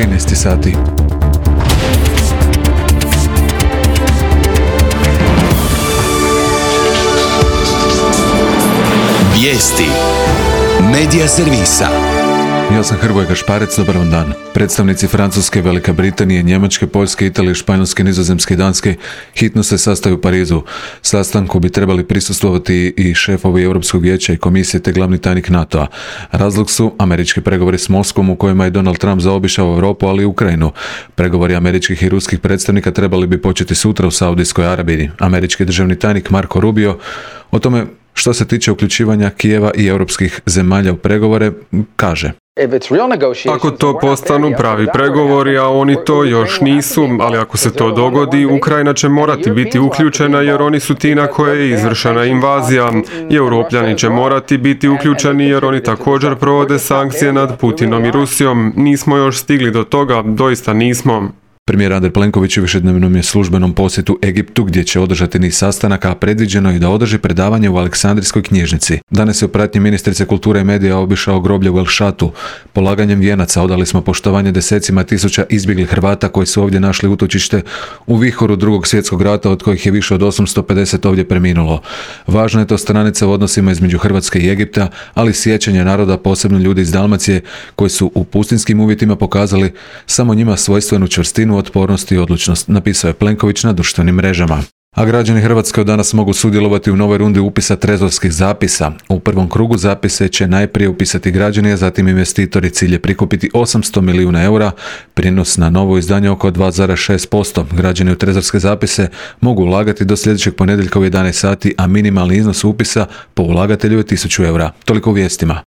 13 sati. Vijesti Medija servisa. Ja sam Hrvoje Gašparec, dobar vam dan. Predstavnici Francuske, Velike Britanije, Njemačke, Poljske, Italije, Španjolske, Nizozemske i Danske hitno se sastaju u Parizu. Sastanku bi trebali prisustvovati i šefovi Europskog vijeća i komisije te glavni tajnik NATO-a. Razlog su američki pregovori s Moskvom u kojima je Donald Trump zaobišao Europu, ali i Ukrajinu. Pregovori američkih i ruskih predstavnika trebali bi početi sutra u Saudijskoj Arabiji. Američki državni tajnik Marco Rubio o tome što se tiče uključivanja Kijeva i europskih zemalja u pregovore kaže: Ako to postanu pravi pregovori, a oni to još nisu, ali ako se to dogodi, Ukrajina će morati biti uključena jer oni su ti na koje je izvršena invazija. I Europljani će morati biti uključeni jer oni također provode sankcije nad Putinom i Rusijom. Nismo još stigli do toga, doista nismo. Premijer Andrej Plenković u višednevnom je službenom posjetu Egiptu gdje će održati niz sastanaka, a predviđeno je da održi predavanje u Aleksandrijskoj knjižnici. Danas je u pratnji ministrice kulture i medija obišao groblje u El Šatu. Polaganjem vijenaca odali smo poštovanje desecima tisuća izbjeglih Hrvata koji su ovdje našli utočište u vihoru Drugog svjetskog rata, od kojih je više od 850 ovdje preminulo. Važna je to stranica u odnosima između Hrvatske i Egipta, ali sjećanje naroda, posebno ljudi iz Dalmacije koji su u pustinjskim uvjetima pokazali samo njima svojstvenu čvrstinu, otpornost i odlučnost, napisao je Plenković na društvenim mrežama. A građani Hrvatske od danas mogu sudjelovati u novoj rundi upisa trezorskih zapisa. U prvom krugu zapise će najprije upisati građani, a zatim investitori. Cilj je prikupiti 800 milijuna eura, prinos na novo izdanje oko 2,6%. Građani u trezorske zapise mogu ulagati do sljedećeg ponedjeljka u 11 sati, a minimalni iznos upisa po ulagatelju je 1000 eura. Toliko u vijestima.